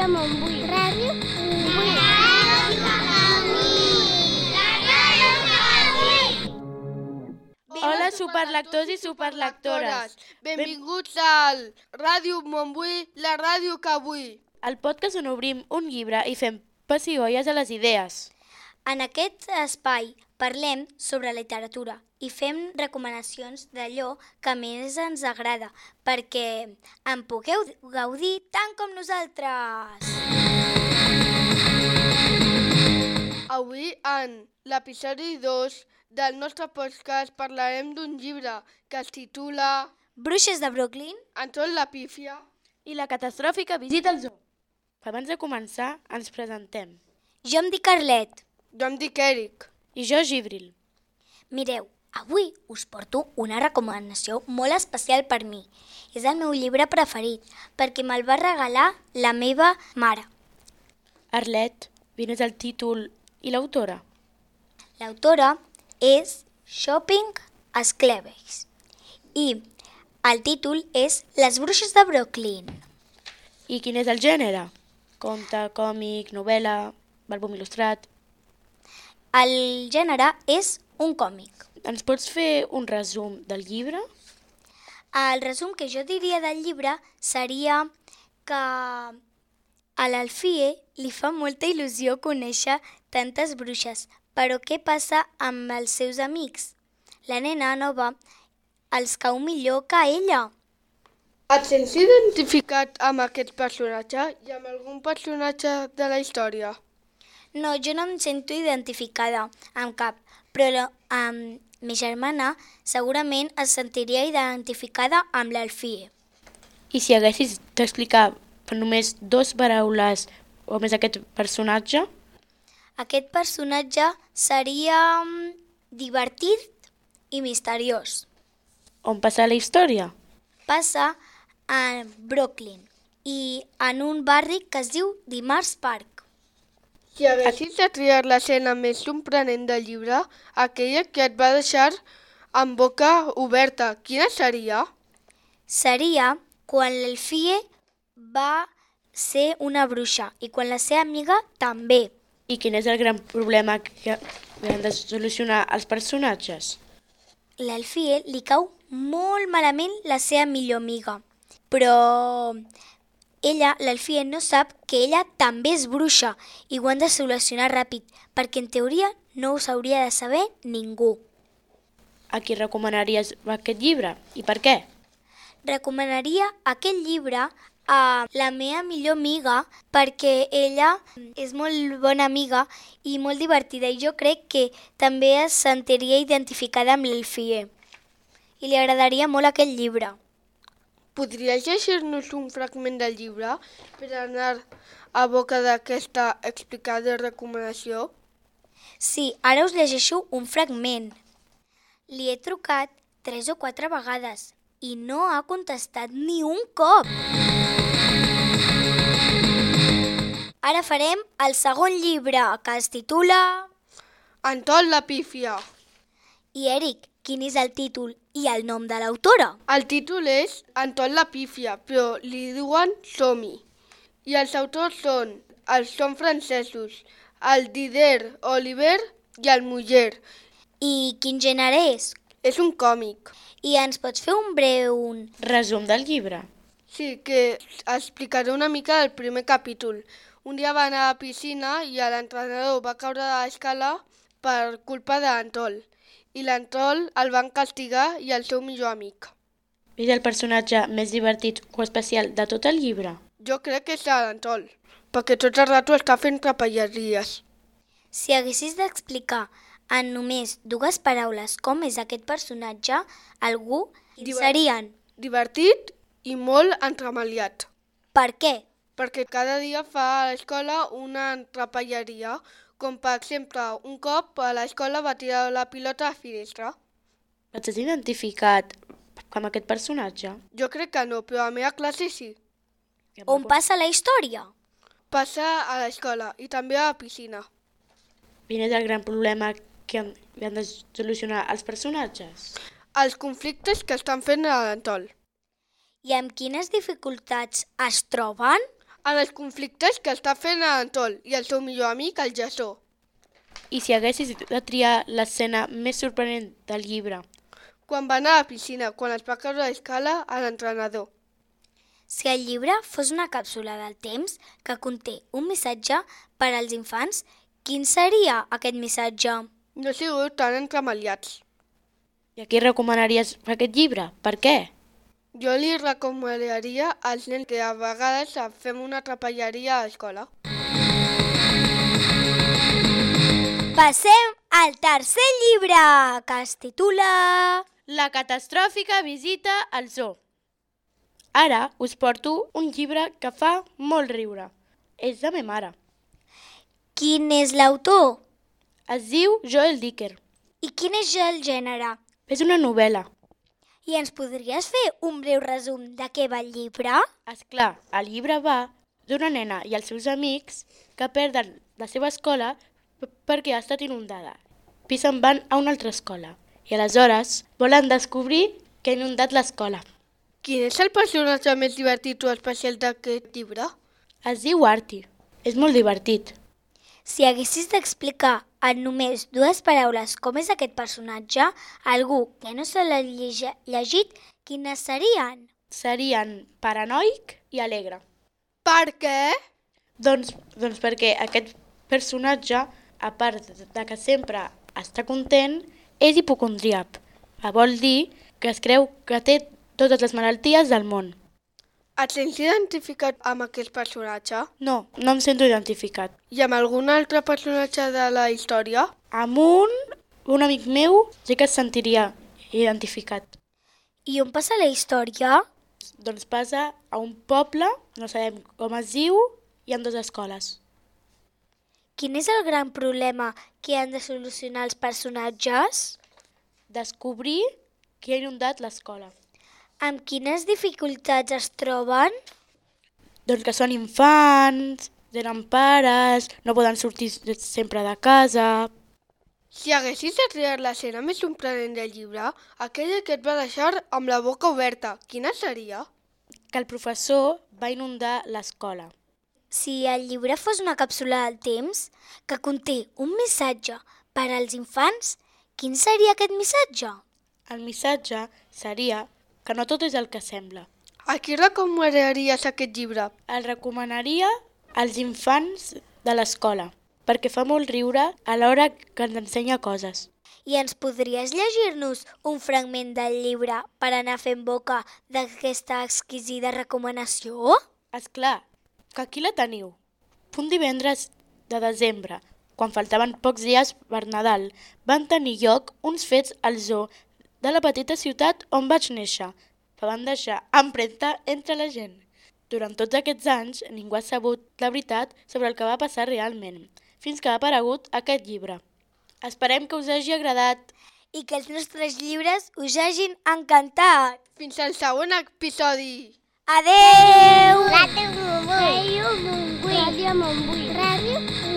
Ràdio Montbui. Ràdio Montbui. Hola, superlectors i superlectores. Benvinguts al Ràdio Montbui, la ràdio que vull. El podcast on obrim un llibre i fem pessigolles a les idees. En aquest espai parlem sobre literatura i fem recomanacions d'allò que més ens agrada perquè en pugueu gaudir tant com nosaltres. Avui, en l'episodi 2 del nostre podcast, parlarem d'un llibre que es titula Bruixes de Brooklyn. Anton la pífia I la catastròfica visita al zoo. Abans de començar, ens presentem. Jo em dic Carlet. Jo em dic Eric. I jo, Gibril. Mireu, avui us porto una recomanació molt especial per mi. És el meu llibre preferit perquè me'l va regalar la meva mare. Arlet, quin és el títol i l'autora? L'autora és Shopping Scleveys i el títol és Les bruixes de Brooklyn. I quin és el gènere? Conte, còmic, novel·la, àlbum il·lustrat? El gènere és un còmic. Ens pots fer un resum del llibre? El resum que jo diria del llibre seria que a l'Alfie li fa molta il·lusió conèixer tantes bruixes, però què passa amb els seus amics? La nena nova els cau millor que ella. Et sents identificat amb aquest personatge i amb algun personatge de la història? No, jo no em sento identificada amb cap, però amb mi germana segurament es sentiria identificada amb l'Alfie. I si haguessis d'explicar per només 2 paraules o més aquest personatge? Aquest personatge seria divertit i misteriós. On passa la història? Passa a Brooklyn i en un barri que es diu Dimarts Park. Si haguessis de triar l'escena més sorprenent del llibre, aquella que et va deixar amb boca oberta, quina seria? Seria quan l'Alfie va ser una bruixa i quan la seva amiga també. I quin és el gran problema que han de solucionar els personatges? L'Alfie li cau molt malament la seva millor amiga, però l'Alfie no sap que ella també és bruixa i ho han de solucionar ràpid, perquè en teoria no ho hauria de saber ningú. A qui recomanaries aquest llibre i per què? Recomanaria aquest llibre a la meva millor amiga perquè ella és molt bona amiga i molt divertida i jo crec que també es sentiria identificada amb l'Alfie i li agradaria molt aquest llibre. Podries llegir-nos un fragment del llibre per anar a boca d'aquesta explicada recomanació? Sí, ara us llegeixo un fragment. Li he trucat 3 o 4 vegades i no ha contestat ni un cop. Ara farem el segon llibre, que es titula Anton la pífia. I Eric, quin és el títol i el nom de l'autora? El títol és Anton la pífia, però li diuen Som-hi. I els autors són francesos, el Dider Oliver i el Muller. I quin gènere és? És un còmic. I ens pots fer un breu Resum del llibre. Sí, que explicaré una mica del primer capítol. Un dia va anar a la piscina i l'entrenador va caure de l'escala per culpa d'Antol. I l'Antol el van castigar i el seu millor amic. És el personatge més divertit o especial de tot el llibre? Jo crec que és l'Antol, perquè tot el rato està fent trapelleries. Si haguessis d'explicar en només 2 paraules com és aquest personatge, algú serien. Divertit i molt entremaliat. Per què? Perquè cada dia fa a l'escola una trapelleria, com per exemple un cop a l'escola va tirar la pilota a la finestra. Et has identificat amb aquest personatge? Jo crec que no, però a la meva classe sí. On passa la història? Passa a l'escola i també a la piscina. Quin és el gran problema que han de solucionar els personatges? Els conflictes que estan fent a l'Antol. I amb quines dificultats es troben? en els conflictes que està fent l'Antol i el seu millor amic, el Jasó. I si haguessis de triar l'escena més sorprenent del llibre? Quan va anar a la piscina, quan es va caure a l'escala a l'entrenador. Si el llibre fos una càpsula del temps que conté un missatge per als infants, quin seria aquest missatge? No sigueu tan entremaliats. I a qui recomanaries aquest llibre? Per què? Jo li recomanaria als nens que a vegades fem una trapelleria a l'escola. Passem al tercer llibre, que es titula... La catastròfica visita al zoo. Ara us porto un llibre que fa molt riure. És de ma mare. Quin és l'autor? Es diu Joel Dicker. I quin és el gènere? És una novel·la. I ens podries fer un breu resum de què va el llibre? És clar, el llibre va d'una nena i els seus amics que perden la seva escola perquè ha estat inundada. I se'n van a una altra escola. I aleshores volen descobrir que ha inundat l'escola. Quin és el personatge més divertit o especial d'aquest llibre? Es diu Artie. És molt divertit. Si haguessis d'explicar en només 2 paraules com és aquest personatge, algú que no se l'ha llegit, quines serien? Serien paranoic i alegre. Per què? Doncs perquè aquest personatge, a part de que sempre està content, és hipocondríac. Vol dir que es creu que té totes les malalties del món. Et sents identificat amb aquest personatge? No em sento identificat. I amb algun altre personatge de la història? Amb un amic meu sí que es sentiria identificat. I on passa la història? Doncs passa a un poble, no sabem com es diu, i en 2 escoles. Quin és el gran problema que han de solucionar els personatges? Descobrir qui ha inundat l'escola. Amb quines dificultats es troben? Doncs que són infants, tenen pares, no poden sortir sempre de casa. Si haguessis de triar l'escena més sorprenent del llibre, aquella que et va deixar amb la boca oberta, quina seria? Que el professor va inundar l'escola. Si el llibre fos una càpsula del temps que conté un missatge per als infants, quin seria aquest missatge? El missatge seria que no tot és el que sembla. A qui recomanaries aquest llibre? El recomanaria als infants de l'escola, perquè fa molt riure a l'hora que ens ensenya coses. I ens podries llegir-nos un fragment del llibre per anar fent boca d'aquesta exquisida recomanació? És clar, que aquí la teniu. Un divendres de desembre, quan faltaven pocs dies per Nadal, van tenir lloc uns fets al zoo de la petita ciutat on vaig néixer, que van deixar empremta entre la gent. Durant tots aquests anys, ningú ha sabut la veritat sobre el que va passar realment, fins que ha aparegut aquest llibre. Esperem que us hagi agradat. I que els nostres llibres us hagin encantat. Fins al següent episodi! Adeu! Ràdio Montbui. Ràdio Montbui. Ràdio Montbui.